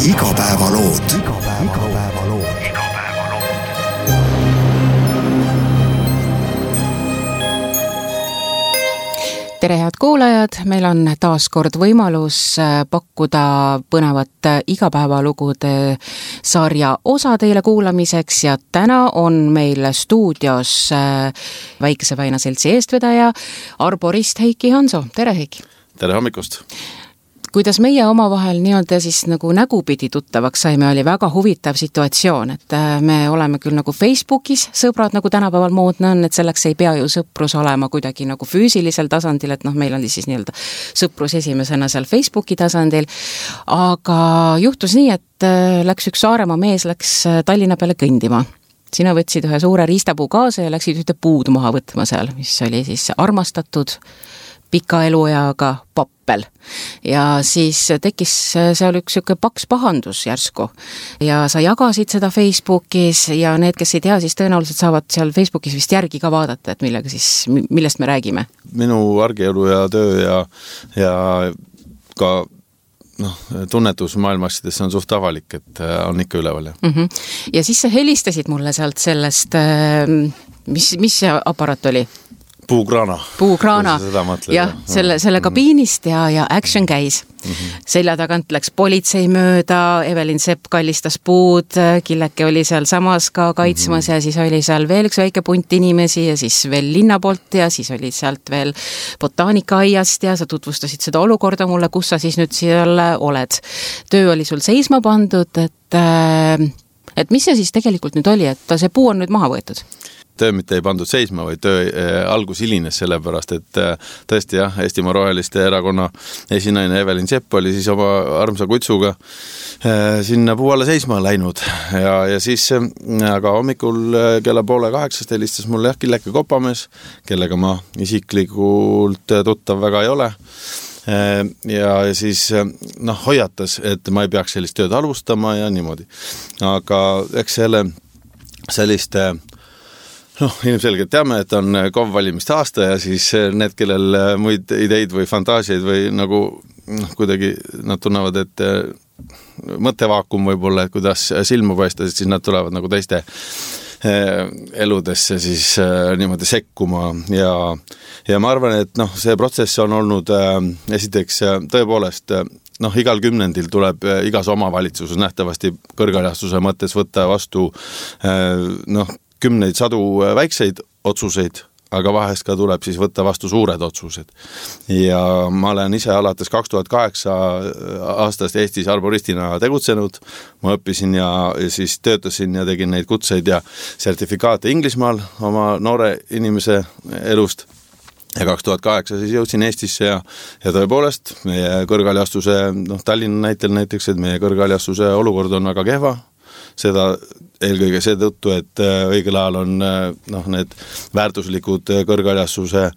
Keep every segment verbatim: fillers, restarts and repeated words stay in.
Igapäevalood. Igapäevalood. Tere head kuulajad, meil on taas kord võimalus pakkuda põnevat igapäevalugude sarja osa teile kuulamiseks ja täna on meil stuudios Väikese Väina seltsi eestvedaja arborist Heiki Hanso. Tere Heiki! Tere hommikust! Kuidas meie omavahel nii-öelda siis nagu nägupidi tuttavaks saime, oli väga huvitav situatsioon, et me oleme küll nagu Facebookis sõbrad, nagu tänapäeval moodne on, et selleks ei pea ju sõprus olema kuidagi nagu füüsilisel tasandil, et noh, meil oli siis nii-öelda sõprus esimesena seal Facebooki tasandil, aga juhtus nii, et läks üks Saaremaa mees, läks Tallinna peale kõndima. Sina võtsid ühe suure riistapuu kaasa ja läksid ühte puud maha võtma seal, mis oli siis armastatud pika elueaga pappel. Ja siis tekkis seal üks siuke paks pahandus järsku. Ja sa jagasid seda Facebookis ja need, kes ei tea, siis tõenäoliselt saavad seal Facebookis vist järgi ka vaadata, et millega siis, millest me räägime. Minu argielu ja töö ja, ja ka noh, tunnetus maailmaasjades on suht avalik, et on ikka üleval. Ja, mm-hmm. ja siis sa helistasid mulle sealt sellest, mis, mis see aparaat oli? Puukraana. Puukraana, jah, selle, selle kabiinist ja, ja action käis. Mm-hmm. Selja tagant läks politsei mööda, Evelin Sepp kallistas puud, Killeke oli seal samas ka kaitsmas mm-hmm. ja siis oli seal veel üks väike punt inimesi ja siis veel linna poolt ja siis oli sealt veel botaanikaaiast ja sa tutvustasid seda olukorda mulle, kus sa siis nüüd seal oled. Töö oli sul seisma pandud, et, et mis see siis tegelikult nüüd oli, et see puu on nüüd maha võetud? Töö mitte ei pandud seisma, või töö algus hilines sellepärast, et tõesti jah, Eestimaa Roheliste erakonna esinaine Evelin Sepp oli siis oma armsa kutsuga sinna puu alla seisma läinud ja, ja siis aga hommikul kella poole kaheksast helistas mulle jah Killeke Kopamees, kellega ma isiklikult tuttav väga ei ole ja, ja siis noh, hoiatas, et ma ei peaks sellist tööd alustama ja niimoodi. Aga eks selle selliste noh, ilmselgelt teame, et on K O V valimiste aasta ja siis need, kellel muid ideid või fantaasiaid või nagu noh, kuidagi nad tunnevad, et mõttevaakum võib-olla, et kuidas silma paista, siis nad tulevad nagu teiste eludesse siis niimoodi sekkuma ja, ja ma arvan, et noh, see protsess on olnud esiteks tõepoolest noh, igal kümnendil tuleb igas omavalitsuses nähtavasti kõrgaljastuse mõttes võtta vastu noh, kümneid sadu väikseid otsuseid, aga vahest ka tuleb siis võtta vastu suured otsused. Ja ma olen ise alates kaks tuhat kaheksa aastast Eestis arboristina tegutsenud. Ma õppisin ja siis töötasin ja tegin neid kutseid ja sertifikaate Inglismaal oma noore inimese elust. Ja kaks tuhat kaheksa siis jõudsin Eestisse ja, ja tõepoolest meie kõrgaljastuse, noh Tallinna näitel näiteks, et meie kõrgaljastuse olukord on väga kehva. Seda eelkõige seetõttu, et õigel ajal on noh, need väärtuslikud kõrgaljastuse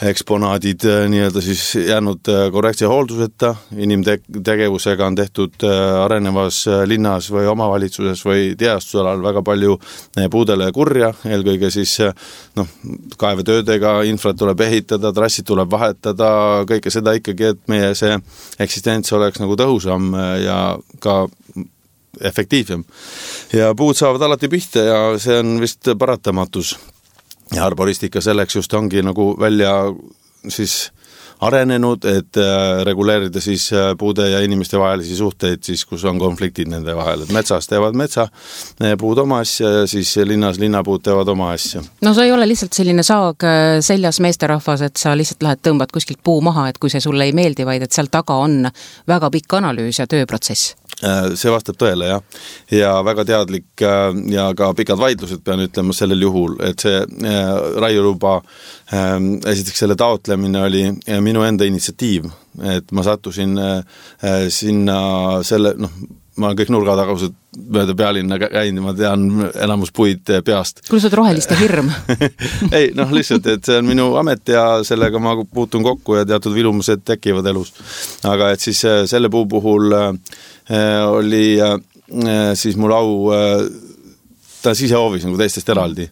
eksponaadid nii-öelda siis jäänud korrektse hoolduseta. Inimtegevusega on tehtud arenevas linnas või omavalitsuses või tiheastusalal väga palju puudele kurja. Eelkõige siis noh, kaevetöödega infrat tuleb ehitada, trassid tuleb vahetada, kõike seda ikkagi, et meie see eksistents oleks nagu tõhusam ja ka efektiivsem. Ja puud saavad alati pihta ja see on vist paratamatus. Ja arboristika selleks just ongi nagu välja siis arenenud, et reguleerida siis puude ja inimeste vahelisi suhteid, siis kus on konfliktid nende vahel. Et metsas teevad metsa puud oma asja ja siis linnas linnapuud teevad oma asja. No sa ei ole lihtsalt selline saag seljas meesterahvas, et sa lihtsalt lähed tõmbad kuskilt puu maha, et kui see sulle ei meeldi, vaid et seal taga on väga pikk analüüs ja tööprotsess. See vastab tõele, jah. Ja väga teadlik ja ka pikad vaidlused pean ütlema sellel juhul, et see raiuluba esiteks selle taotlemine oli minu enda initsiatiiv, et ma sattusin sinna selle, noh, ma olen kõik nurgatagused mööda pealinna käinud, ma tean enamus puid peast. Kui sa oled roheliste hirm? Ei, noh lihtsalt, et see on minu amet ja sellega ma puutun kokku ja teatud vilumused tekivad elus. Aga et siis selle puu puhul oli siis mul au ta sisehoovis nagu teistest eraldi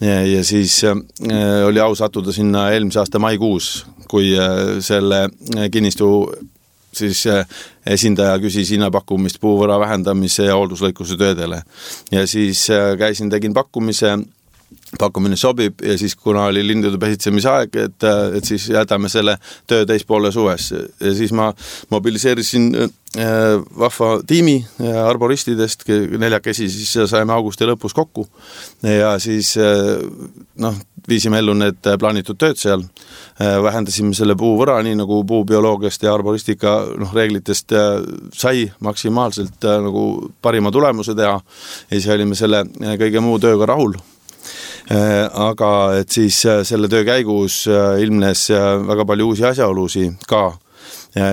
ja, ja siis oli au sattuda sinna eelmise aasta maikuus, kui selle kinnistu siis esindaja küsis hinnapakkumist puuvõra vähendamise ja hoolduslõikuse töödele. Ja siis käisin, tegin pakkumise, pakkumine sobib ja siis kuna oli lindude pesitsemise aeg, et, et siis jätame selle töö teispoole suves ja siis ma mobiliseerisin vahva tiimi arboristidest, neljakesi siis saime augusti lõpus kokku ja siis noh, viisime ellu need plaanitud tööd seal, vähendasime selle puuvõra, nii nagu puubioloogiast ja arboristika noh, reeglitest sai maksimaalselt nagu parima tulemuse teha ja siis olime selle kõige muu tööga rahul. Aga et siis selle töö käigus ilmnes väga palju uusi asjaolusi ka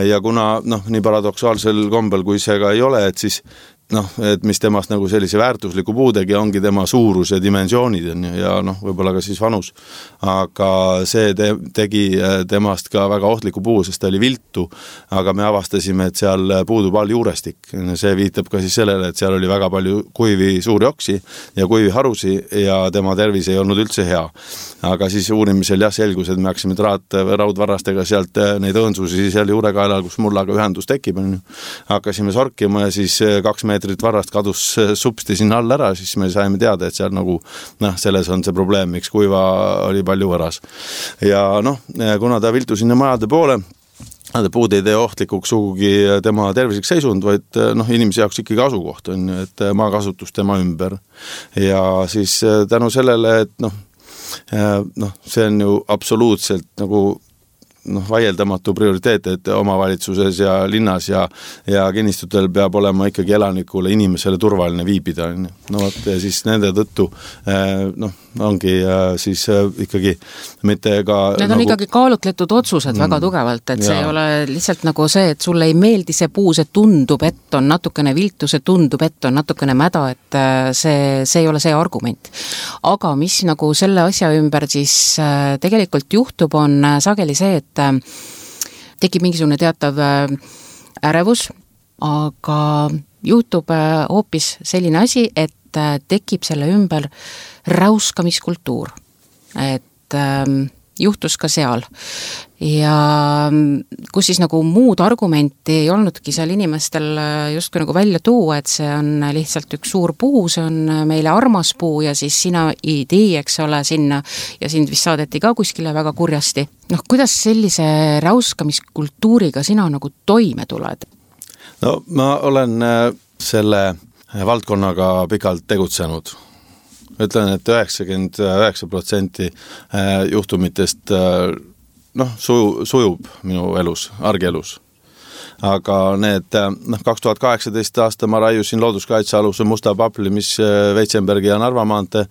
ja kuna noh, nii paradoksaalsel kombel kui see ka ei ole, et siis noh, et mis temast nagu sellise väärtusliku puudegi ongi tema suurus ja dimensioonid on ja noh, võib-olla ka siis vanus, aga see te tegi temast ka väga ohtliku puu, sest ta oli viltu, aga me avastasime, et seal puudub all juurestik. See viitab ka siis sellele, et seal oli väga palju kuivi suuri oksi ja kuivi harusi ja tema tervis ei olnud üldse hea. Aga siis uurimisel jah selgus, et me haksime traat raudvarrastega sealt neid õõnsusi seal juurekaelal, kus mullaga ühendus tekib, hakkasime sorkima ja siis kaks meetrit varrast kadus supsti sinna all ära, siis me saime teada, et seal nagu noh, selles on see probleem, miks kuiva oli palju võras. Ja noh, kuna ta viltu sinna majade poole, puud ei tee ohtlikuks sugugi tema tervislik seisund, vaid noh, inimese jaoks ikkagi asukoht on, et maakasutus tema ümber. Ja siis tänu sellele, et noh, noh, see on ju absoluutselt nagu noh, vaieldamatu prioriteet, et omavalitsuses ja linnas ja, ja kinnistutel peab olema ikkagi elanikule, inimesele turvaline viibida. No võt, ja siis nende tõttu noh, ongi siis ikkagi mitte ka Need on nagu... ikkagi kaalutletud otsused mm, väga tugevalt, et see ja. Ei ole lihtsalt nagu see, et sulle ei meeldi see puu, see tundub, et on natukene viltu, see tundub, et on natukene mäda, et see, see ei ole see argument. Aga mis nagu selle asja ümber siis tegelikult juhtub, on sageli see, et tekib mingisugune teatav ärevus, aga juhtub hoopis selline asi, et tekib selle ümber räuskamiskultuur. Et juhtus ka seal. Ja kus siis nagu muud argumenti ei olnudki seal inimestel justkui nagu välja tuua, et see on lihtsalt üks suur puu, see on meile armas puu ja siis sina idee, eks ole, sinna ja sind vist saadeti ka kuskile väga kurjasti. Noh, kuidas sellise räuskamiskultuuriga sina nagu toime tuled? No ma olen selle valdkonnaga pikalt tegutsenud. Ütlen, et üheksakümmend üheksa protsenti juhtumitest noh, suju, sujub minu elus, argielus. Aga need noh, kaks tuhat kaheksateist aasta ma raiusin looduskaitsealuse musta papli, mis Veitsenbergi ja Narva maante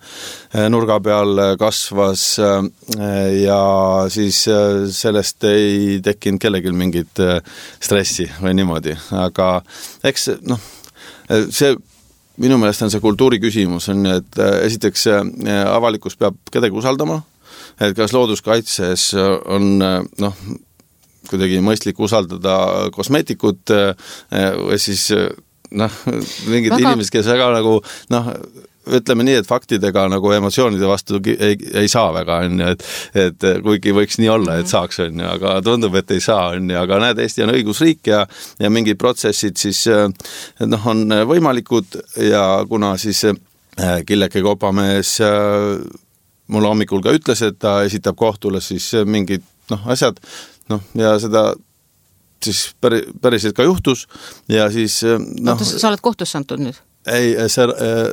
nurga peal kasvas ja siis sellest ei tekkinud kellelgi mingit stressi või niimoodi. Aga eks noh, see minu meelest on see kultuuri küsimus, on, et esiteks avalikkus peab kedagi usaldama, et kas looduskaitses on noh, kuidagi mõistlik usaldada kosmeetikut või siis noh, mingid väga... inimesed, kes väga nagu noh, ütleme nii, et faktidega nagu emotsioonide vastu ei, ei saa väga, on, et, et kuigi võiks nii olla, et saaks, on, aga tundub, et ei saa, on, aga näed, Eesti on õigusriik ja, ja mingid protsessid siis noh, on võimalikud ja kuna siis Killeke Kopamees mulle hommikul ka ütles, et ta esitab kohtule siis mingid noh, asjad, noh, ja seda siis päri, päriselt ka juhtus ja siis noh... Oota, sa oled kohtusse antud nüüd? Ei, see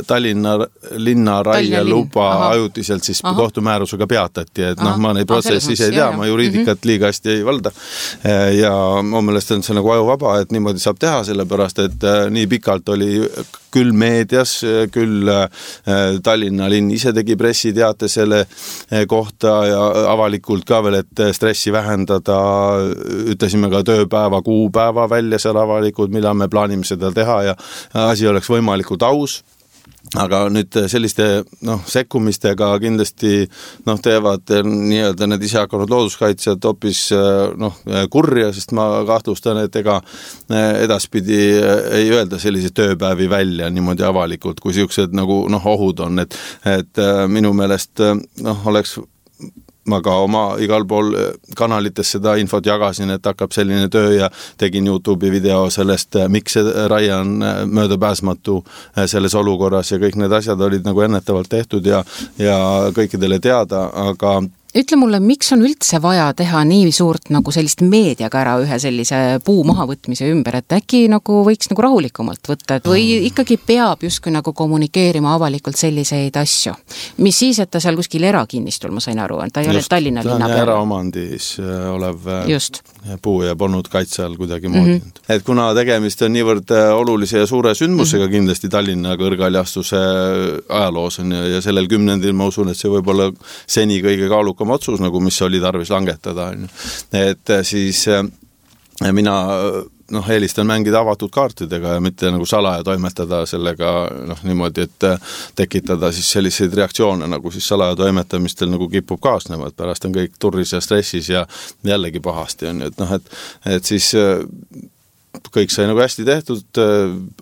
Tallinna linna raie luba ajutiselt siis Aha. kohtumäärusega peatati, et noh, ma neid protsessi ise ei tea, ma juriidikat liiga hästi ei valda ja mu meelest on see nagu ajuvaba, et niimoodi saab teha, sellepärast, et nii pikalt oli küll meedias, küll Tallinna linn ise tegi pressiteate selle kohta ja avalikult ka veel, et stressi vähendada, ütlesime ka tööpäeva, kuupäeva välja seal avalikult, millal me plaanime seda teha ja asi oleks võimalikult aus. Aga nüüd selliste noh, sekkumistega kindlasti noh, teevad nii-öelda need ise hakanud looduskaitsjad hoopis noh, kurja, sest ma kahtlustan, et ega edaspidi ei öelda sellise tööpäevi välja niimoodi avalikult, kui siuksed nagu noh, ohud on, et, et minu meelest noh, oleks ma ka oma igal pool kanalites seda infot jagasin, et hakkab selline töö ja tegin YouTube'i video sellest, miks see raie on möödapääsmatu selles olukorras ja kõik need asjad olid nagu ennetavalt tehtud ja, ja kõikidele teada, aga ütle mulle, miks on üldse vaja teha nii suurt nagu sellist meediaga ära ühe sellise puu mahavõtmise ümber, et äkki nagu võiks nagu rahulikumalt võtta, et või ikkagi peab justkui nagu kommunikeerima avalikult selliseid asju, mis siis, et ta seal kuskil erakinnistul, ma sain aru, ta ei ole Tallinna linna peal. Eraomandis olev Just. puu ja polnud kaitse all kuidagi moodi. Mm -hmm. Et kuna tegemist on niivõrd olulise ja suure sündmusega mm -hmm. kindlasti Tallinna kõrgaljastuse ajaloos on ja, ja sellel kümnendil ma usun, et see võib olla seni kõige kaalukam otsus, nagu mis oli tarvis langetada. Et siis mina noh, eelistan mängida avatud kaartidega ja mitte nagu salaja toimetada sellega noh, niimoodi, et tekitada siis selliseid reaktsioone, nagu siis salaja toimetamistel nagu kipub kaasnema, et pärast on kõik turris ja stressis ja jällegi pahasti on, et noh, et, et siis kõik sai nagu hästi tehtud,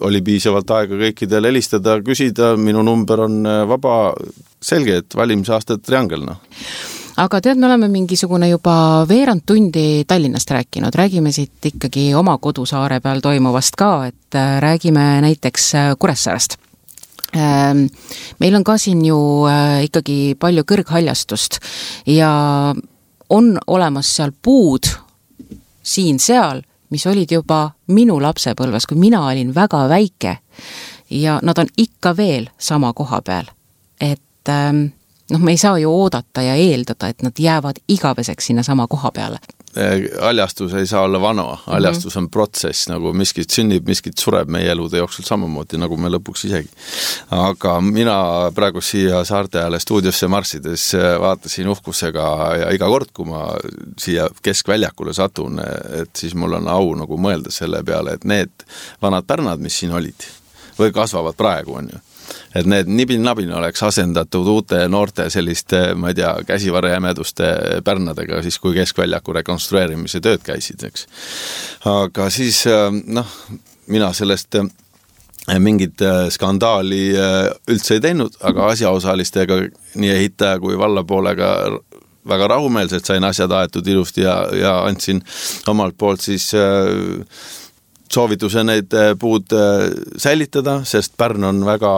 oli piisavalt aega kõikidel helistada, küsida, minu number on vaba, selge, et valimisaastad triangel, noh. Aga tead, me oleme mingisugune juba veerand tundi Tallinnast rääkinud, räägime siit ikkagi oma kodusaare peal toimuvast ka, et räägime näiteks Kuressaarest. Meil on ka siin ju ikkagi palju kõrghaljastust ja on olemas seal puud siin-seal, mis olid juba minu lapsepõlves, kui mina olin väga väike ja nad on ikka veel sama koha peal, et noh, me ei saa ju oodata ja eeldada, et nad jäävad igaveseks sinna sama koha peale. Aljastus ei saa olla vana, aljastus on protsess, nagu miskit sünnib, miskit sureb meie elude jooksul samamoodi, nagu me lõpuks isegi. Aga mina praegu siia saarte ajale stuudiosse marssides vaatasin uhkusega ja iga kord, kui ma siia keskväljakule satun, et siis mul on au nagu mõelda selle peale, et need vanad pärnad, mis siin olid, või kasvavad praegu on ju, et need nibin-nabin oleks asendatud uute noorte selliste, ma ei tea, käsivarjämeduste pärnadega, siis kui keskväljaku rekonstrueerimise tööd käisid, eks. Aga siis, noh, mina sellest mingit skandaali üldse ei teinud, aga asjaosalistega nii ehitaja kui vallapoolega väga rahumeelselt sain asjad aetud ilusti ja, ja andsin omalt poolt siis soovituse neid puud säilitada, sest Pärn on väga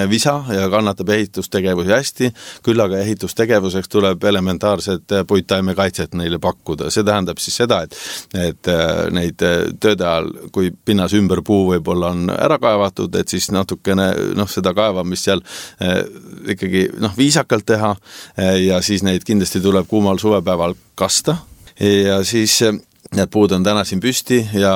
visa ja kannatab ehitustegevusi hästi, küll aga ehitustegevuseks tuleb elementaarset puittaimekaitset neile pakkuda. See tähendab siis seda, et, et neid tööde ajal, kui pinnas ümber puu võib-olla on ära kaevatud, et siis natukene noh, seda kaevamist seal ikkagi noh, viisakalt teha ja siis neid kindlasti tuleb kuumal suvepäeval kasta ja siis need puud on täna siin püsti ja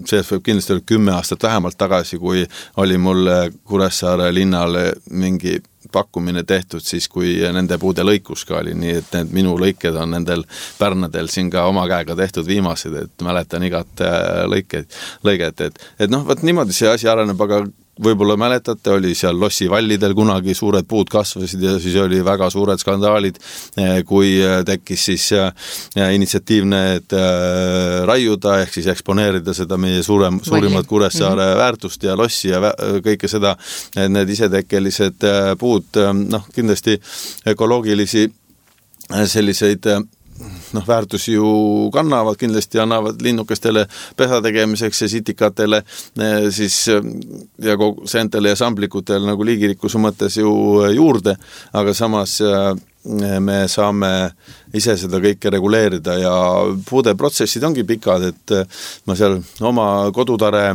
sellest võib kindlasti olla kümme aastat vähemalt tagasi, kui oli mul Kuressaare linnale mingi pakkumine tehtud siis, kui nende puude lõikus ka oli, nii et need minu lõiked on nendel pärnadel siin ka oma käega tehtud viimased, et mäletan igat lõikeid, lõiget, et, et noh, võt niimoodi see asi areneb, aga võib-olla mäletate, oli seal Lossi vallidel kunagi suured puud kasvasid ja siis oli väga suured skandaalid, kui tekkis siis initsiatiivne raiuda ehk siis eksponeerida seda meie suurem, suurimat Kuressaare mm-hmm. väärtust ja Lossi ja kõike seda, need isetekkelised puud, noh kindlasti ökoloogilisi selliseid noh, väärtusi ju kannavad, kindlasti annavad linnukestele pesa tegemiseks ja sitikatele siis ja kogu seentele ja samblikutele nagu liigirikkuse mõttes ju juurde, aga samas me saame ise seda kõike reguleerida ja puude protsessid ongi pikad, et ma seal oma kodutare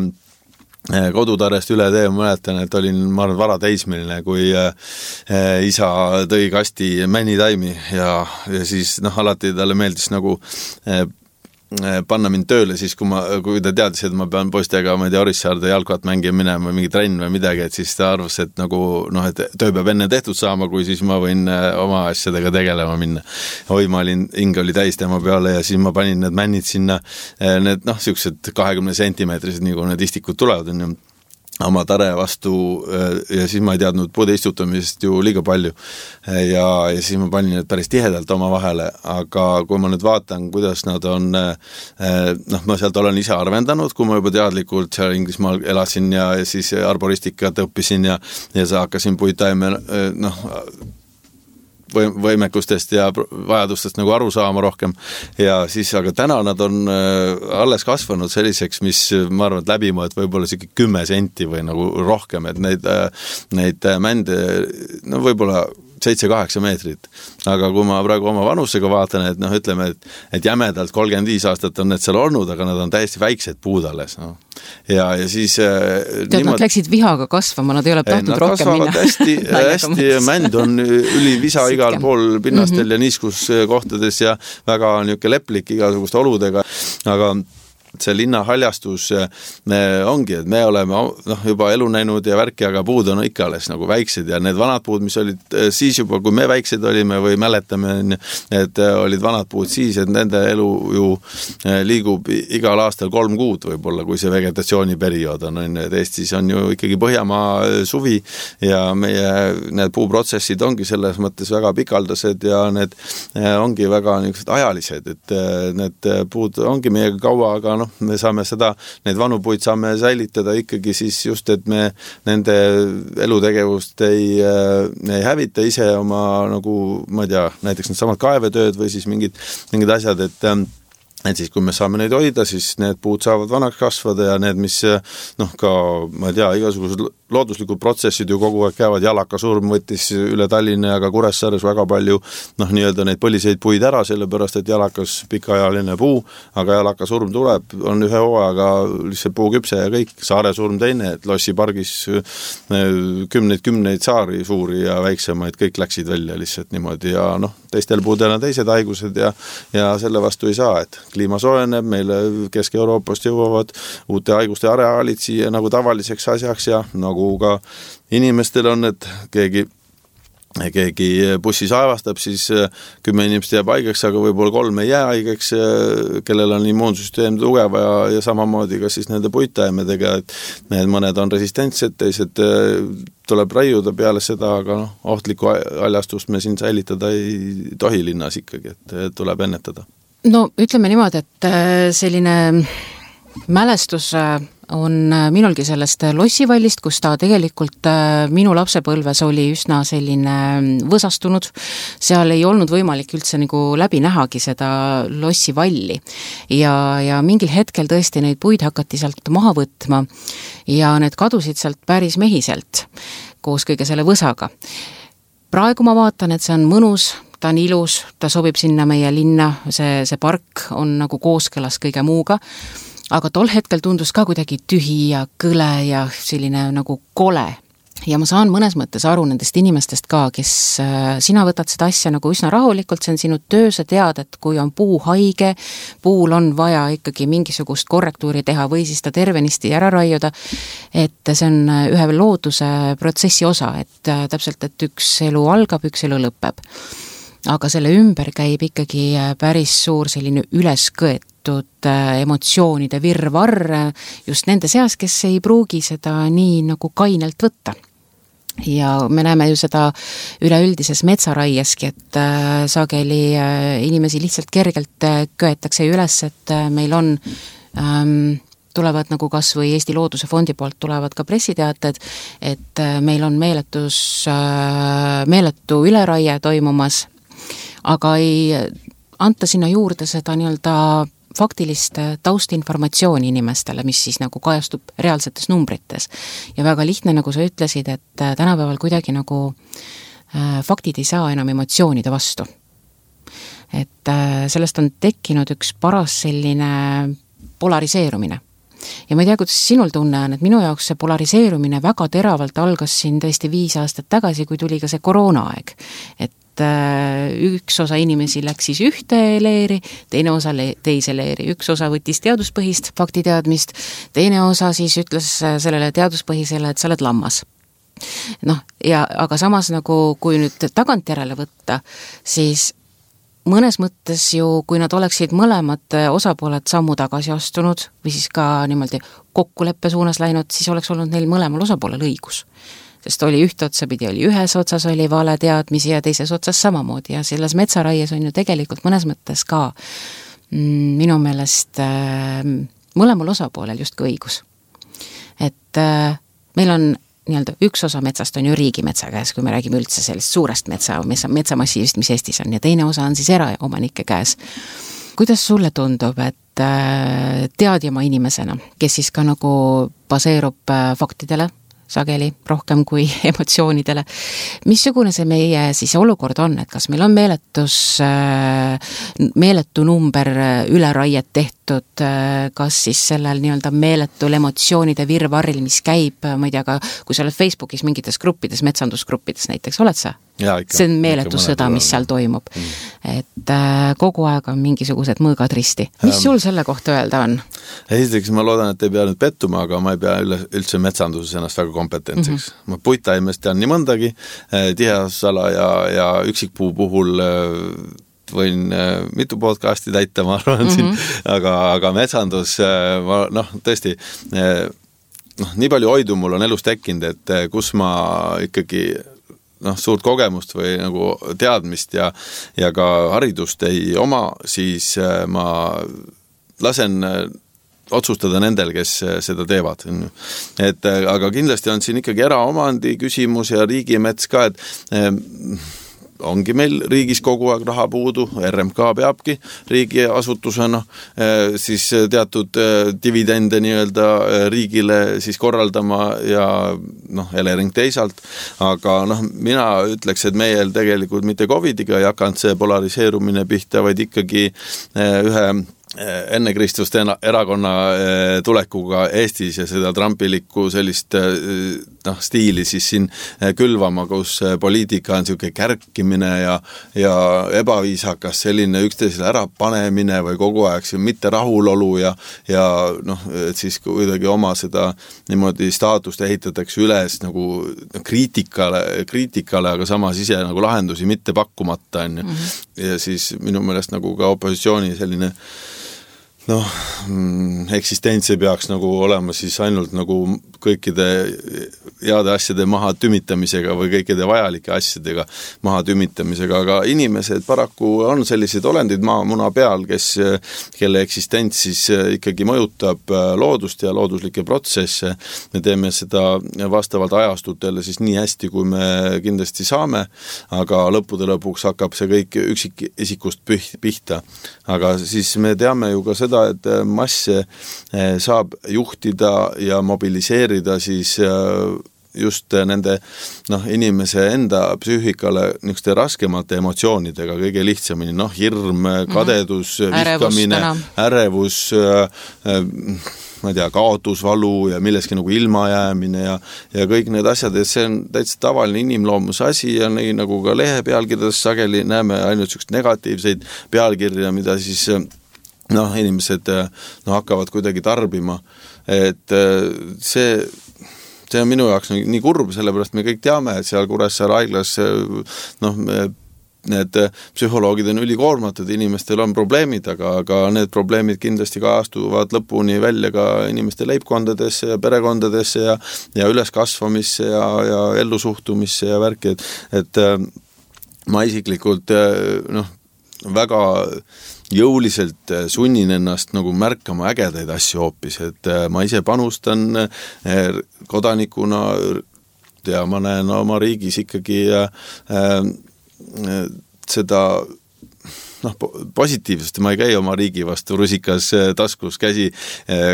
kodutarest üle tee, mäletan, et olin, ma arvan, varateismeline, kui isa tõi kasti männitaimi ja, ja siis noh, alati talle meeldis nagu panna mind tööle siis, kui, ma, kui ta teadis, et ma pean poistega, ma ei tea, Orissaarde jalkat mängima minema või mingi trenn või midagi, et siis ta arvas, et nagu noh, et töö peab enne tehtud saama, kui siis ma võin oma asjadega tegelema minna. Oi, ma olin, hing oli täis tema peale ja siis ma panin need männid sinna, need noh, siuksed kahekümne sentimeetrised, nii kui need istikud tulevad, on ju oma tare vastu ja siis ma ei teadnud puude istutamisest ju liiga palju ja, ja siis ma panin need päris tihedalt oma vahele, aga kui ma nüüd vaatan, kuidas nad on, noh, ma sealt olen ise arvendanud, kui ma juba teadlikult seal Inglismaal elasin ja, ja siis arboristikat õppisin ja, ja sa hakkasin puittaime, noh, võimekustest ja vajadustest nagu aru saama rohkem ja siis, aga täna nad on alles kasvanud selliseks, mis ma arvan, et läbimõõt võib-olla siuke kümme senti või nagu rohkem, et neid, neid mände, no võib-olla seitse-kaheksa meetrit. Aga kui ma praegu oma vanusega vaatan, et noh, ütleme, et, et jämedalt kolmkümmend viis aastat on need seal olnud, aga nad on täiesti väiksed puud alles. No. Ja, ja siis... Tead, niimoodi... nad läksid vihaga kasvama, nad ei ole tahtnud rohkem minna. hästi, hästi mänd on üli visa igal pool pinnastel mm-hmm. ja niiskuskohtades ja väga niuke leplik igasuguste oludega, aga see linna haljastus ongi, et me oleme noh, juba elu näinud ja värki, aga puud on ikka alles nagu väiksed ja need vanad puud, mis olid siis juba, kui me väiksed olime või mäletame, et olid vanad puud siis, et nende elu ju liigub igal aastal kolm kuud võib-olla, kui see vegetatsiooniperiood on, on, et Eestis on ju ikkagi Põhjamaa suvi ja meie need puuprotsessid ongi selles mõttes väga pikaldased ja need ongi väga niisugused ajalised, et need puud ongi meiega kaua, aga noh, me saame seda, need vanu puid saame säilitada ikkagi siis just, et me nende elutegevust ei, ei hävita ise oma nagu, ma ei tea, näiteks need samad kaevetööd või siis mingid, mingid asjad, et et siis, kui me saame neid hoida, siis need puud saavad vanaks kasvada ja need, mis noh, ka, ma ei tea, igasugused looduslikud protsessid ju kogu aeg käivad, jalakasurm võttis üle Tallinna ja ka Kuressaares väga palju noh, nii-öelda neid põliseid puid ära, sellepärast, et jalakas pikaajaline puu, aga jalakasurm tuleb, on ühe hooaega lihtsalt puu küpse ja kõik, saaresurm teine, et Lossi pargis kümneid, kümneid saari suuri ja väiksemaid, kõik läksid välja lihtsalt niimoodi ja noh, teistel puudel on teised haigused ja, ja selle vastu ei saa, et kliima soojeneb, meile Kesk-Euroopast jõuavad uute haiguste areaalid siia nagu tavaliseks asjaks ja nagu ka inimestel on, et keegi keegi bussis aevastab, siis kümme inimest jääb haigeks, aga võib-olla kolm ei jää haigeks, kellel on immuunsüsteem tugeva ja, ja samamoodi ka siis nende puittaimedega, et need mõned on resistentsed, teised tuleb raiuda peale seda, aga noh, ohtlikku haljastust me siin säilitada ei tohi linnas ikkagi, et tuleb ennetada. No ütleme niimoodi, et selline mälestus on minulgi sellest Lossivallist, kus ta tegelikult minu lapsepõlves oli üsna selline võsastunud. Seal ei olnud võimalik üldse nagu läbi nähagi seda Lossivalli. Ja, ja mingil hetkel tõesti neid puid hakati sealt maha võtma ja need kadusid sealt päris mehiselt koos kõige selle võsaga. Praegu ma vaatan, et see on mõnus, ta on ilus, ta sobib sinna meie linna, see, see park on nagu kooskõlas kõige muuga, aga tol hetkel tundus ka kuidagi tühi ja kõle ja selline nagu kole. Ja ma saan mõnes mõttes aru nendest inimestest ka, kes sina võtad seda asja nagu üsna rahulikult, see on sinu töö, sa tead, et kui on puu haige, puul on vaja ikkagi mingisugust korrektuuri teha või siis ta tervenisti ära raiuda, et see on ühe looduse protsessi osa, et täpselt, et üks elu algab, üks elu lõpeb. Aga selle ümber käib ikkagi päris suur selline üleskõetud emotsioonide virvarr just nende seas, kes ei pruugi seda nii nagu kainelt võtta. Ja me näeme ju seda üleüldises metsaraieski, et sageli inimesi lihtsalt kergelt köetakse üles, et meil on ähm, tulevad nagu kas või Eesti Looduse Fondi poolt tulevad ka pressiteated, et meil on meeletus, meeletu üleraie toimumas, aga ei anta sinna juurde seda nii-öelda faktilist taustinformatsiooni inimestele, mis siis nagu kajastub reaalsetes numbrites. Ja väga lihtne, nagu sa ütlesid, et tänapäeval kuidagi nagu faktid ei saa enam emotsioonide vastu. Et sellest on tekkinud üks paras selline polariseerumine. Ja ma ei tea, kuidas sinul tunne on, et minu jaoks see polariseerumine väga teravalt algas siin tõesti viis aastat tagasi, kui tuli ka see koroonaaeg. Et üks osa inimesi läks siis ühte leeri, teine osa teise leeri, üks osa võttis teaduspõhist faktiteadmist, teine osa siis ütles sellele teaduspõhisele, et sa oled lammas. Noh, ja, aga samas nagu, kui nüüd tagantjärele võtta, siis mõnes mõttes ju, kui nad oleksid mõlemad osapooled sammu tagasi astunud või siis ka niimoodi kokkuleppe suunas läinud, siis oleks olnud neil mõlemal osapoolel õigus. Sest oli ühte otsapidi, oli ühes otsas oli vale teadmisi ja teises otsas samamoodi ja selles metsaraies on ju tegelikult mõnes mõttes ka mm, minu meelest äh, mõlemal osapoolel justkui õigus. Et äh, meil on nii-öelda üks osa metsast on ju riigimetsa käes, kui me räägime üldse sellist suurest metsa, metsamassiivist, mis Eestis on, ja teine osa on siis eraomanike käes. Kuidas sulle tundub, et teadjama inimesena, kes siis ka nagu baseerub faktidele sageli rohkem kui emotsioonidele, missugune see meie siis olukord on, et kas meil on meeletus, meeletu number üleraiet tehtud, kas siis sellel nii-öelda meeletul emotsioonide virvarril, mis käib, ma ei tea, ka kui sa oled Facebookis mingites gruppides, metsandusgruppides näiteks, oled sa? Ja, ikka, see on meeletu sõda, mis seal toimub. Mm. Et äh, kogu aeg on mingisugused mõõgad risti. Mis sul selle kohta öelda on? Esiteks ma loodan, et ei pea nüüd pettuma, aga ma ei pea üldse metsanduses ennast väga kompetentsiks. Mm-hmm. Ma puitaimest tean nii mõndagi, tihasala ja, ja üksikpuu puhul võin mitu podcasti täita, ma arvan mm-hmm. siin, aga, aga metsandus, ma, noh, tõesti, noh, nii palju hoidu mul on elus tekkinud, et kus ma ikkagi noh, suurt kogemust või nagu teadmist ja, ja ka haridust ei oma, siis ma lasen otsustada nendel, kes seda teevad. Et, aga kindlasti on siin ikkagi eraomandi küsimus ja riigimets ka, et ongi meil riigis kogu aeg raha puudu, R M K peabki riigi asutusena siis teatud dividende nii-öelda riigile siis korraldama ja noh, Elering teisalt, aga noh, mina ütleks, et meil tegelikult mitte covidiga ei hakanud see polariseerumine pihta, vaid ikkagi ühe enne Kristust erakonna tulekuga Eestis ja seda trampilikku sellist noh, stiili siis siin külvama, kus poliitika on siuke kärkimine ja, ja ebaviisakas selline üksteisele ära panemine või kogu aeg see mitte rahulolu ja, ja noh, et siis kuidagi oma seda niimoodi staatust ehitatakse üles nagu kriitikale, kriitikale, aga samas ise nagu lahendusi mitte pakkumata on. Mm-hmm. Ja siis minu meelest nagu ka opositsiooni selline noh, eksistents ei peaks nagu olema siis ainult nagu kõikide heade asjade maha tümitamisega või kõikide vajalike asjadega maha tümitamisega, aga inimesed paraku on sellised olendid maamuna peal, kes, kelle eksistents siis ikkagi mõjutab loodust ja looduslikke protsesse. Me teeme seda vastavalt ajastutele siis nii hästi, kui me kindlasti saame, aga lõppude lõpuks hakkab see kõik üksikisikust pihta. Aga siis me teame ju ka seda, et masse saab juhtida ja mobiliseerida siis just nende noh, inimese enda psüühikale niisuguste raskemate emotsioonidega kõige lihtsamini, noh, hirm, kadedus, ärevus, vihkamine, ärevus, ma ei tea, kaotusvalu ja milleski nagu ilmajäämine ja, ja kõik need asjad, et see on täitsa tavaline inimloomuse asi ja nii nagu ka lehe pealkirjades sageli näeme ainult niisugust negatiivseid pealkirja, mida siis noh, inimesed no, hakkavad kuidagi tarbima, et see, see on minu jaoks nii kurb, sellepärast me kõik teame, et seal Kuressaare haiglas noh, need psühholoogid on ülikoormatud, inimestel on probleemid, aga, aga need probleemid kindlasti kajastuvad lõpuni välja ka inimeste leibkondadesse ja perekondadesse ja, ja üleskasvamisse ja, ja ellusuhtumisse ja värki, et, et ma isiklikult noh, väga jõuliselt sunnin ennast nagu märkama ägedaid asju hoopis, et ma ise panustan kodanikuna ja ma näen oma riigis ikkagi seda noh, positiivsest, ma ei käi oma riigi vastu rusikas taskus käsi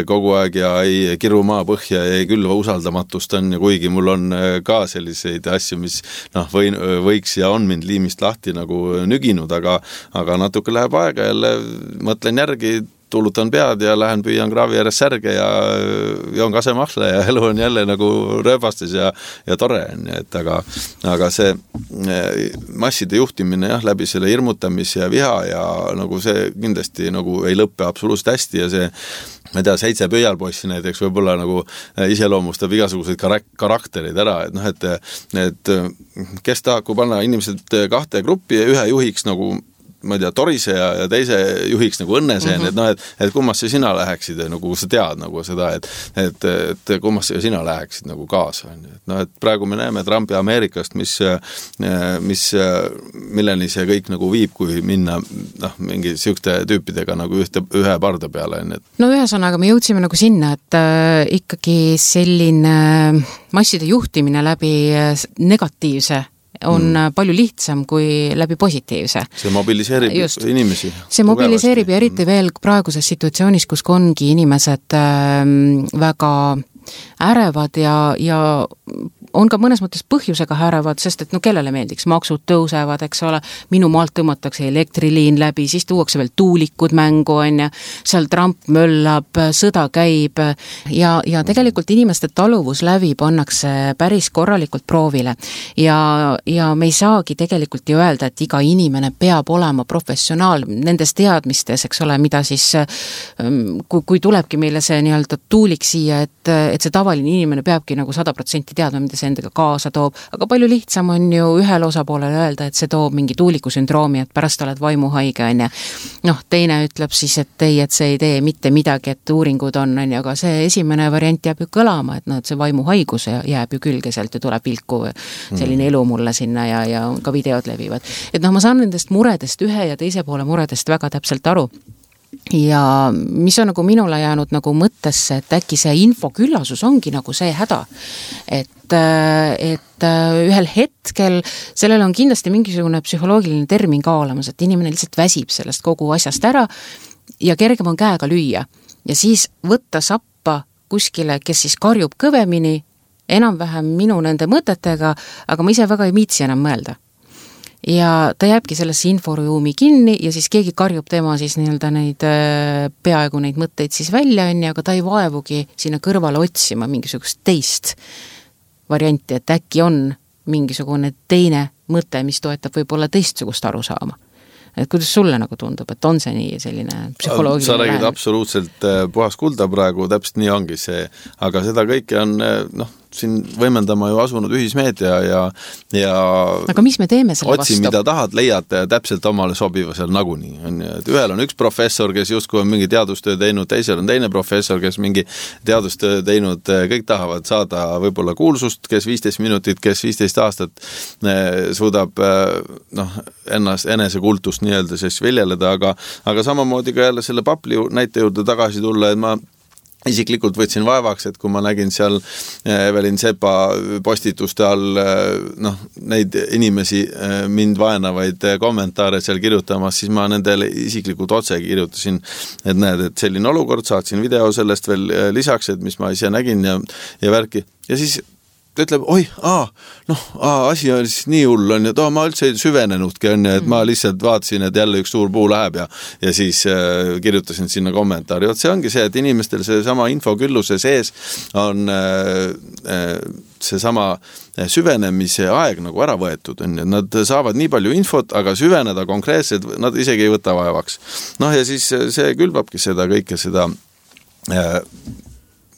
kogu aeg ja ei kiru maa põhja ja ei külva usaldamatust on ja kuigi mul on ka selliseid asju, mis noh, või, võiks ja on mind liimist lahti nagu nüginud, aga, aga natuke läheb aega jälle, mõtlen järgi, tuulutan pead ja lähen püüan kraavi ääres särge ja joon kasemahla ja elu on jälle nagu rööbastes ja, ja tore on, et aga, aga see masside juhtimine jah, läbi selle hirmutamise ja viha ja nagu see kindlasti nagu ei lõppe absoluutselt hästi ja see ma ei tea, seitse pöialpoissi näiteks võib-olla nagu iseloomustab igasuguseid karak- karakterid ära, et noh, et, et kes tahab, kui panna inimesed kahte gruppi ja ühe juhiks nagu ma ei tea, Torise ja, ja teise juhiks nagu Õnneseen, mm -hmm. et noh, et, et kummasse sina läheksid, nagu sa tead nagu seda, et, et, et kummasse sina läheksid nagu kaasa. Et noh, et praegu me näeme Trumpi Ameerikast, mis, mis, milleni see kõik nagu viib, kui minna noh, mingi sihukte tüüpidega nagu ühte, ühe parda peale. No ühesõnaga me jõudsime nagu sinna, et äh, ikkagi selline masside juhtimine läbi negatiivse on mm. palju lihtsam kui läbi positiivse. See mobiliseerib Just. inimesi. See mobiliseerib ja eriti veel praeguses situatsioonis, kus ongi inimesed äh, väga ärevad ja, ja on ka mõnes mõttes põhjusega ärevad, sest et no kellele meeldiks, maksud tõusevad, eks ole, minu maalt tõmmatakse elektriliin läbi, siis tuuakse veel tuulikud mängu, on ja seal Trump möllab, sõda käib ja, ja tegelikult inimeste taluvus läbi pannakse päris korralikult proovile ja, ja me ei saagi tegelikult ju öelda, et iga inimene peab olema professionaal nendes teadmistes, eks ole, mida siis kui, kui tulebki meile see nii-öelda tuulik siia, et, et see tavaline inimene peabki nagu sada protsenti teadma, mida see endaga kaasa toob, aga palju lihtsam on ju ühel osapoolel öelda, et see toob mingi tuulikusündroomi, et pärast oled vaimuhaige, on ja noh, teine ütleb siis, et ei, et see ei tee mitte midagi, et uuringud on, on ja aga see esimene variant jääb ju kõlama, et noh, et see vaimuhaigus jääb ju külge sealt ja tuleb vilku selline elu mulle sinna ja, ja ka videod levivad. Et noh, ma saan nendest muredest ühe ja teise poole muredest väga täpselt aru. Ja mis on nagu minule jäänud nagu mõttesse, et äkki see infoküllasus ongi nagu see häda, et, et ühel hetkel sellel on kindlasti mingisugune psühholoogiline termin ka olemas, et inimene lihtsalt väsib sellest kogu asjast ära ja kergem on käega lüüa ja siis võtta sappa kuskile, kes siis karjub kõvemini, enam-vähem minu nende mõtetega, aga ma ise väga ei viitsi enam mõelda. Ja ta jääbki sellesse inforuumi kinni ja siis keegi karjub tema siis nii-öelda neid peaaegu neid mõtteid siis välja, aga ta ei vaevugi sinna kõrvale otsima mingisugust teist varianti, et äkki on mingisugune teine mõte, mis toetab võib-olla teistsugust aru saama. Et kuidas sulle nagu tundub, et on see nii selline psühholoogiline sa räägid lähene? Absoluutselt puhas kulda praegu, täpselt nii ongi see, aga seda kõike on noh, siin võimendama ju asunud ühismeedia ja, ja aga mis me teeme selle otsi, vastu? Mida tahad, leiad täpselt omale sobiva seal nagunii. Et ühel on üks professor, kes justkui on mingi teadustöö teinud, teisel on teine professor, kes mingi teadustöö teinud, kõik tahavad saada võib-olla kuulsust, kes viisteist minutit, kes viisteist aastat suudab noh, ennast, enese kultust nii-öelda siis viljeleda, aga, aga samamoodi ka jälle selle papli näite juurde tagasi tulla, et ma isiklikult võtsin vaevaks, et kui ma nägin seal Evelin Sepa postituste all noh, neid inimesi mind vaenavaid kommentaare seal kirjutamas, siis ma nendele isiklikult otse kirjutasin, et näed, et selline olukord, saatsin video sellest veel lisaks, et mis ma ise nägin ja, ja värki. Ja siis ta ütleb, oi, aa, noh, aa, asi on siis nii hull, on ja too, ma üldse ei süvenenudki, on ja, et ma lihtsalt vaatasin, et jälle üks suur puu läheb ja, ja siis äh, kirjutasin sinna kommentaari. Oot, see ongi see, et inimestel see sama infokülluse sees on äh, äh, see sama süvenemise aeg nagu ära võetud, on ja nad saavad nii palju infot, aga süveneda konkreetselt nad isegi ei võta vaevaks. Noh, ja siis see külvabki seda kõike seda äh,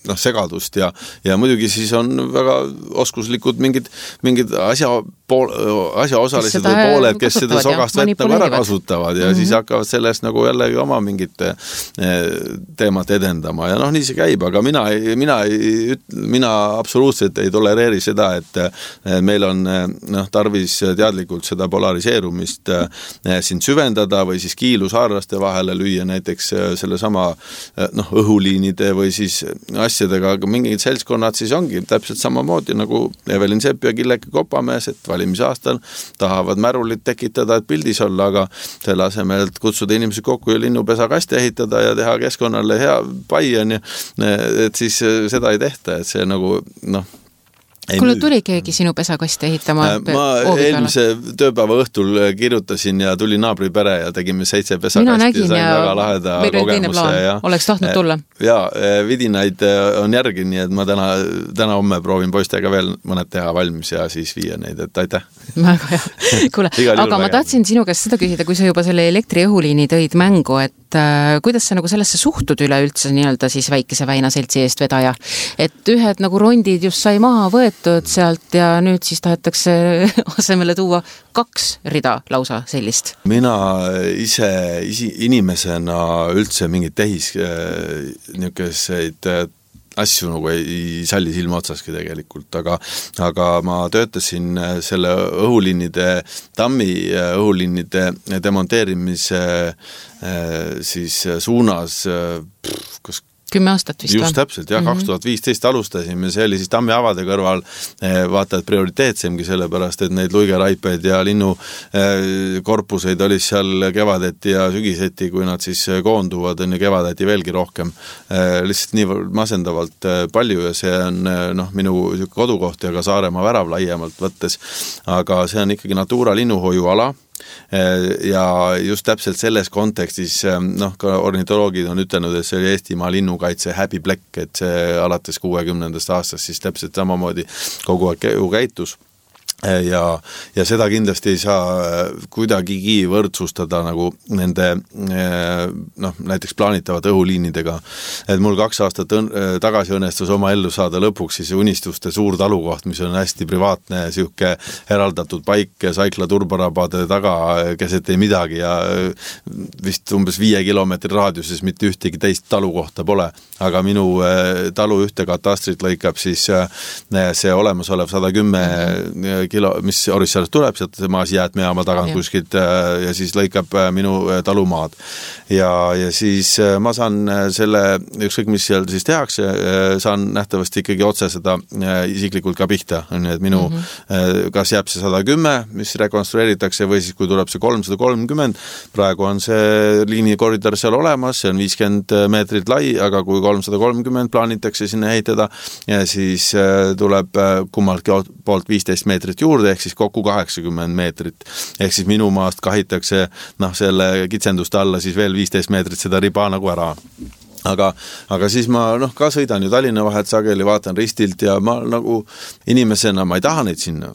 noh, segadust ja, ja muidugi siis on väga oskuslikud mingid, mingid asja, pool, asja osalised või pooled, kes seda sogast vett nagu ära kasutavad ja mm -hmm. siis hakkavad sellest nagu jällegi oma mingit teemat edendama ja noh, nii see käib, aga mina, mina, mina absoluutselt ei tolereeri seda, et meil on noh, tarvis teadlikult seda polariseerumist siin süvendada või siis kiilusaarlaste vahele lüüa näiteks selle sama noh, õhuliinide või siis asjadega, aga mingid seltskonnad siis ongi täpselt samamoodi nagu Evelin Sepp ja Killeke Kopamees, et valimisaastal tahavad märulit tekitada, et pildis olla, aga selle asemel, et kutsuda inimesi kokku ja linnupesa kaste ehitada ja teha keskkonnale hea pai on ja et siis seda ei tehta, et see nagu noh, kuule, tuli keegi sinu pesakasti ehitama? Ma eelmise tööpäeva õhtul kirjutasin ja tuli naabripere ja tegime seitse pesakasti ja sain ja väga laheda kogemuse. Ja, oleks tahtnud tulla? Ja vidinaid on järgi, nii et ma täna, täna homme proovin poistega veel mõned teha valmis ja siis viia neid, et aitäh. Väga hea. Kuule, aga ma tahtsin sinu käest seda küsida, kui sa juba selle elektriõhuliini tõid mängu, et äh, kuidas sa nagu sellesse suhtud üle üldse nii-öelda siis väikese väina seltsi eest vedaja, et ühed nagu rondid just sai maha võetud võetud sealt ja nüüd siis tahetakse asemele tuua kaks rida lausa sellist. Mina ise isi, inimesena üldse mingid tehis niisuguseid asju nagu ei salli silma otsaski tegelikult, aga, aga ma töötasin selle õhuliinide, tammi õhuliinide demonteerimise siis suunas, kus kümme aastat vist. Just täpselt, jah, kaks tuhat viisteist alustasime, see oli siis tammi avade kõrval vaata, et prioriteetsemgi sellepärast, et neid luigeraipeid ja linnu korpuseid oli seal kevadeti ja sügiseti, kui nad siis koonduvad, on ja kevadeti veelgi rohkem. Lihtsalt nii masendavalt palju ja see on noh, minu kodukoht ja ka Saaremaa värav laiemalt võttes, aga see on ikkagi Natura linnuhoiuala, ja just täpselt selles kontekstis noh, ka ornitoloogid on ütelnud, et see oli Eestimaa linnukaitse häbiplekk, et see alates kuuekümnendast aastast siis täpselt samamoodi kogu aeg käitus. Ja, ja seda kindlasti ei saa kuidagigi võrdsustada nagu nende noh, näiteks plaanitavate õhuliinidega. Et mul kaks aastat õn, tagasi õnnestus oma ellu saada lõpuks siis unistuste suur talukoht, mis on hästi privaatne, siuke eraldatud paik Saikla turbarabade taga keset ei midagi ja vist umbes viie kilomeetri raadiuses mitte ühtegi teist talukohta pole. Aga minu talu ühte katastrit lõikab siis see olemasolev sada kümme kilo, mis Orissaalest tuleb, sealt maas jäätmejaama tagant ja. Kuskilt ja siis lõikab minu talumaad. Ja, ja siis ma saan selle, ükskõik mis seal siis tehakse, saan nähtavasti ikkagi otse seda isiklikult ka pihta. Et minu, mm-hmm. kas jääb see sada kümme, mis rekonstrueeritakse või siis kui tuleb see kolmsada kolmkümmend, praegu on see liinikoridor seal olemas, see on viiskümmend meetrit lai, aga kui kolmsada kolmkümmend plaanitakse sinna ehitada, ja siis tuleb kummaltki poolt viisteist meetrit juurde, ehk siis kokku kaheksakümmend meetrit. Ehk siis minu maast kahitakse noh, selle kitsenduste alla siis veel viisteist meetrit seda riba nagu ära. Aga, aga siis ma noh, ka sõidan ju Tallinna vahet sageli, vaatan ristilt ja ma nagu inimesena ma ei taha neid sinna.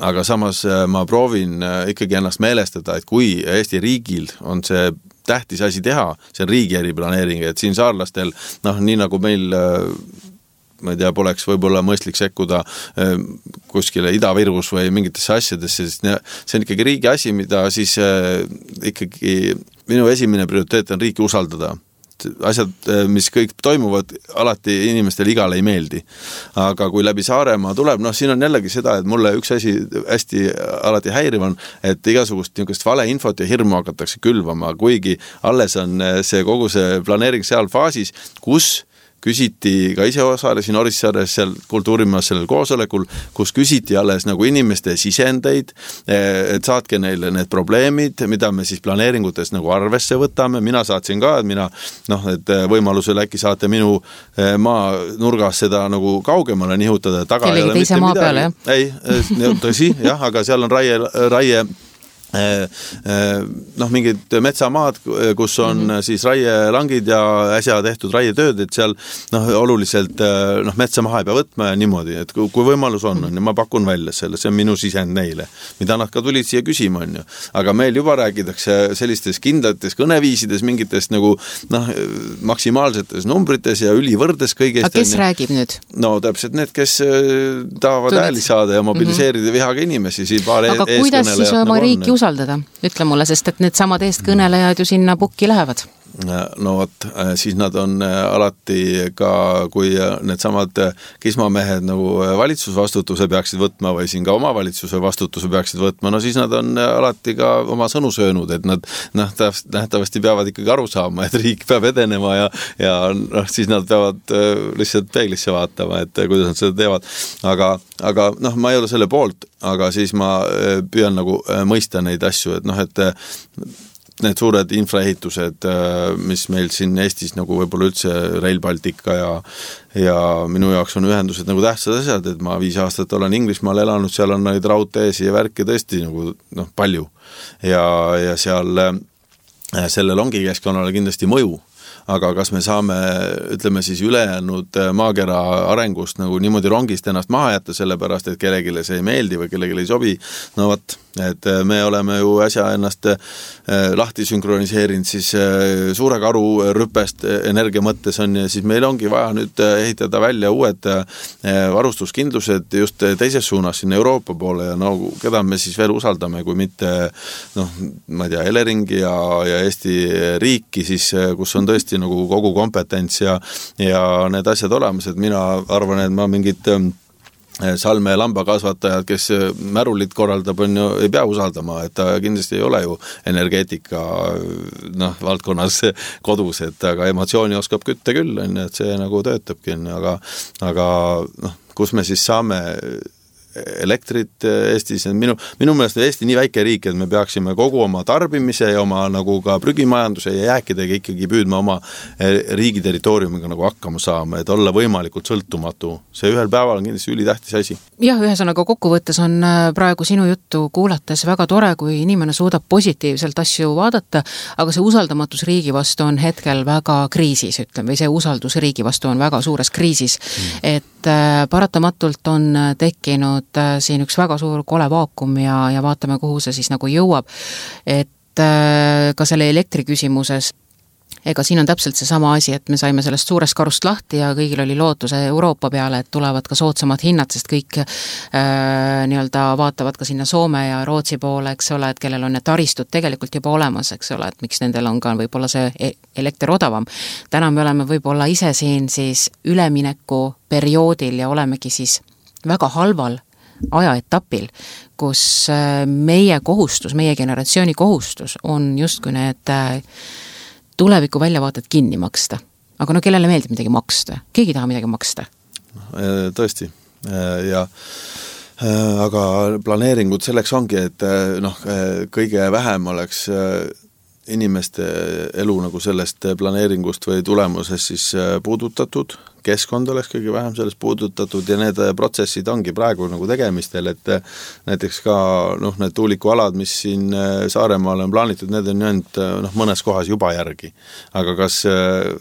Aga samas ma proovin ikkagi ennast meelestada, et kui Eesti riigil on see tähtis asi teha, see on riigi eriplaneering, et siin saarlastel, noh, nii nagu meil ma ei tea, poleks võib-olla mõistlik sekkuda kuskile Ida-Virus või mingitesse asjadesse, sest see on ikkagi riigi asi, mida siis ikkagi minu esimene prioriteet on riiki usaldada. Asjad, mis kõik toimuvad, alati inimestele igale ei meeldi. Aga kui läbi Saaremaa tuleb, noh, siin on jällegi seda, et mulle üks asi hästi alati häiriv on, et igasugust niisugust valeinfot ja hirmu hakatakse külvama, kuigi alles on see kogu see planeering seal faasis, kus küsiti, ka ise osalesin Orissaares seal kultuurimaas sellel koosolekul, kus küsiti alles nagu inimeste sisendeid, et saatke neile need probleemid, mida me siis planeeringutes nagu arvesse võtame. Mina saatsin ka, et mina, noh, et võimalusel äkki saate minu maa nurgas seda nagu kaugemale nihutada. Taga kellegi teise maa peale, jah? Ei, tõsi, jah, aga seal on raie, raie noh, mingid metsamaad, kus on mm-hmm. siis raielangid ja äsja tehtud raietööd, et seal noh, oluliselt noh, metsa maha ei pea võtma ja niimoodi, et kui võimalus on, on ja ma pakun välja selle, see on minu sisend neile, mida nad ka tulid siia küsima, on ju. Aga meil juba räägitakse sellistes kindlates kõneviisides, mingitest nagu noh, maksimaalsetes numbrites ja ülivõrdes kõigest. Aga kes räägib nüüd? No täpselt need, kes tahavad ääli saada ja mobiliseerida mm-hmm. vihaga inimesi, siin paar aga eeskõnelejad. Aga kuidas siis oma riiki nagu usaldada, ütle mulle, sest et need samad eestkõnelejad ju sinna pukki lähevad. No võt, siis nad on alati ka, kui need samad kismamehed nagu valitsusvastutuse peaksid võtma või siin ka omavalitsuse vastutuse peaksid võtma, no siis nad on alati ka oma sõnu söönud, et nad nähtavasti peavad ikkagi aru saama, et riik peab edenema ja, ja noh, siis nad peavad lihtsalt peeglisse vaatama, et kuidas nad seda teevad. Aga, aga noh, ma ei ole selle poolt, aga siis ma püüan nagu mõista neid asju, et noh, et need suured infraehitused, mis meil siin Eestis nagu võib-olla üldse Rail Baltica ja, ja minu jaoks on ühendused nagu tähtsad asjad, et ma viis aastat olen Inglismaal elanud, seal on neid raudteesi ja värke tõesti nagu noh, palju ja, ja seal sellel ongi keskkonnale kindlasti mõju. aga kas me saame, ütleme siis ülejäänud maakera arengust nagu niimoodi rongist ennast maha jätta, sellepärast, et kellegile see ei meeldi või kellegile ei sobi, no võt, et me oleme ju äsja ennast lahti sünkroniseerinud siis suure karu rüpest energia mõttes on ja siis meil ongi vaja nüüd ehitada välja uued varustuskindlused just teises suunas sinna Euroopa poole ja no keda me siis veel usaldame, kui mitte noh, ma ei tea, Eleringi ja, ja Eesti riiki siis, kus on tõesti nagu kogu kompetents ja, ja need asjad olemas, et mina arvan, et ma mingit Salme lambakasvatajad, kes märulit korraldab, on ju, ei pea usaldama, et ta kindlasti ei ole ju energeetika noh, valdkonnas kodus, et aga emotsiooni oskab kütta küll, on, et see nagu töötabki, aga, aga noh, kus me siis saame elektrit Eestis, minu, minu meelest on Eesti nii väike riik, et me peaksime kogu oma tarbimise ja oma nagu ka prügimajanduse ja jääkidega ikkagi püüdma oma riigi territooriumiga nagu hakkama saama, et olla võimalikult sõltumatu. See ühel päeval on kindlasti ülitähtis asi. Jah, ühesõnaga kokkuvõttes on praegu sinu juttu kuulates väga tore, kui inimene suudab positiivselt asju vaadata, aga see usaldamatus riigi vastu on hetkel väga kriisis, ütleme, või see usaldus riigi vastu on väga suures kriisis, mm. et paratamatult on tekkinud siin üks väga suur kole vaakum ja, ja vaatame, kuhu see siis nagu jõuab, et ka selle elektri küsimuses ega siin on täpselt see sama asi, et me saime sellest suurest karust lahti ja kõigil oli lootuse Euroopa peale, et tulevad ka soodsamad hinnad, sest kõik äh, nii-öelda vaatavad ka sinna Soome ja Rootsi poole, eks ole, et kellel on need taristud tegelikult juba olemas, eks ole, et miks nendel on ka võib-olla see elekter odavam. Täna me oleme võib-olla ise siin siis ülemineku perioodil ja olemegi siis väga halval ajaetapil, kus meie kohustus, meie generatsiooni kohustus on justkui need tuleviku väljavaated kinni maksta. Aga no kellele meeldib midagi maksta? Keegi taha midagi maksta? Tõesti. Ja aga planeeringud selleks ongi, et noh, kõige vähem oleks inimeste elu nagu sellest planeeringust või tulemuses siis puudutatud, keskkond oleks kõige vähem sellest puudutatud ja need protsessid ongi praegu nagu tegemistel, et näiteks ka noh, need tuulikualad, mis siin Saaremaal on plaanitud, need on ainult noh, mõnes kohas juba järgi. Aga kas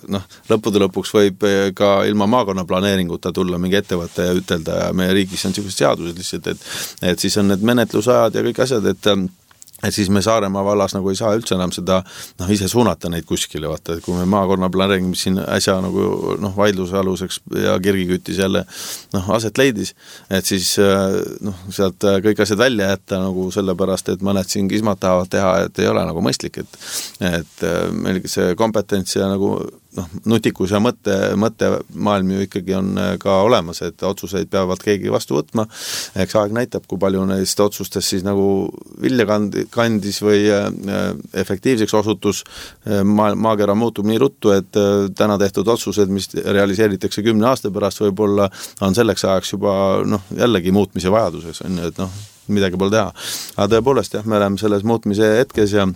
noh, lõppude lõpuks võib ka ilma maakonna planeeringuta tulla mingi ettevõtte ja ütelda ja meie riigis on sellised seadused lihtsalt, et, et siis on need menetlusajad ja kõik asjad, et et siis me Saaremaa vallas nagu ei saa üldse enam seda noh, ise suunata neid kuskile, vaata, et kui me maakonna planeering, mis siin äsja nagu noh, vaidluse aluseks ja kirgiküttis jälle noh, aset leidis, et siis noh, sealt kõik asjad välja jätta nagu sellepärast, et mõned siin kismad tahavad teha, et ei ole nagu mõistlik, et, et meil see kompetents ja nagu noh, nutikus ja mõtte, mõtte maailm ju ikkagi on ka olemas, et otsuseid peavad keegi vastu võtma. Eks aeg näitab, kui palju neist otsustest siis nagu vilja kandis või efektiivseks osutus. Ma, maakera muutub nii ruttu, et täna tehtud otsused, mis realiseeritakse kümne aasta pärast, võib-olla on selleks ajaks juba noh, jällegi muutmise vajaduses, on, et noh, midagi pole teha. Aga tõepoolest, jah, me oleme selles muutmise hetkes ja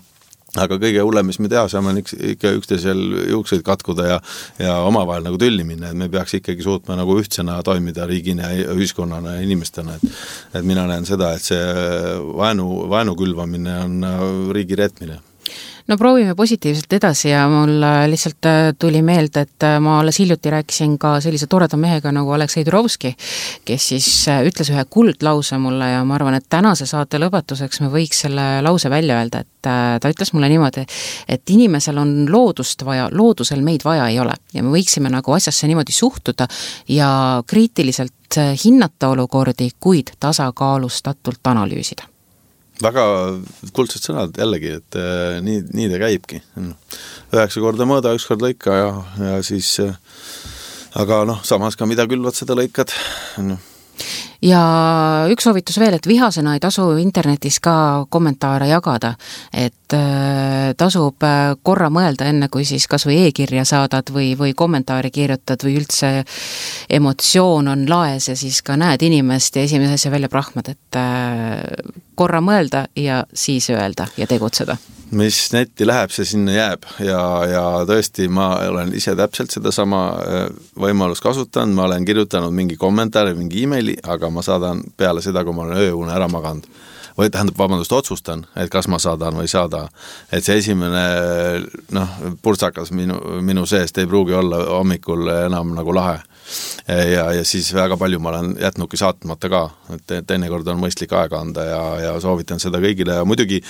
aga kõige hullem, mis me teha saame, on ikka üksteisel juukseid katkuda ja, ja omavahel nagu tülli minna, et me peaks ikkagi suutma nagu ühtsena toimida riigina ja ühiskonnana ja inimestena, et, et mina näen seda, et see vaenu, vaenu külvamine on riigi reetmine. No proovime positiivselt edasi ja mul lihtsalt tuli meelde, et ma alles hiljuti rääkisin ka sellise toreda mehega nagu Aleksei Turovski, kes siis ütles ühe kuldlause mulle ja ma arvan, et tänase saate lõpetuseks me võiks selle lause välja öelda, et ta ütles mulle niimoodi, et inimesel on loodust vaja, loodusel meid vaja ei ole ja me võiksime nagu asjasse niimoodi suhtuda ja kriitiliselt hinnata olukordi, kuid tasakaalustatult analüüsida. Väga kuldsed sõnad jällegi, et äh, nii, nii ta käibki. Üheksa korda mõõda, üks kord lõika ja, ja siis, äh, aga noh, samas ka mida külvad, seda lõikad. No. Ja üks soovitus veel, et vihasena ei tasu internetis ka kommentaare jagada, et äh, tasub korra mõelda enne, kui siis kas või e-kirja saadad või, või kommentaari kirjutad või üldse emotsioon on laes ja siis ka näed inimest ja esimese asja välja prahmad, et äh, korra mõelda ja siis öelda ja tegutseda. Mis netti läheb, see sinna jääb ja, ja tõesti ma olen ise täpselt seda sama võimalust kasutanud, ma olen kirjutanud mingi kommentaari, mingi emaili, aga ma saadan peale seda, kui ma olen ööune ära maganud. või tähendab, vabandust, otsustan, et kas ma saadan või saada, et see esimene noh, purtsakas minu, minu seest ei pruugi olla hommikul enam nagu lahe. Ja, ja siis väga palju ma olen jätnudki saatmata ka, et teinekord on mõistlik aega anda ja, ja soovitan seda kõigile ja muidugi,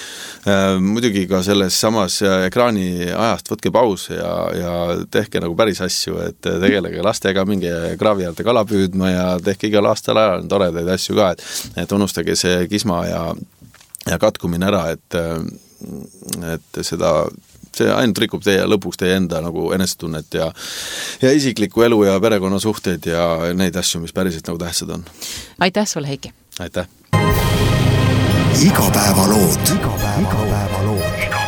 äh, muidugi ka selles samas ekraani ajast võtke paus ja, ja tehke nagu päris asju, et tegelege lastega, minge kraavi äärde kala püüdma ja tehke igal aastal ajal toredaid asju ka, et, et unustage see kisma ja, ja katkumine ära, et, et seda see ainult rikub teie lõpuks teie enda nagu enesetunnet ja, ja isiklikku elu ja perekonnasuhteid ja neid asju, mis päriselt nagu tähtsad on. Aitäh sulle, Heiki! Aitäh! Igapäevalood. Igapäevalood.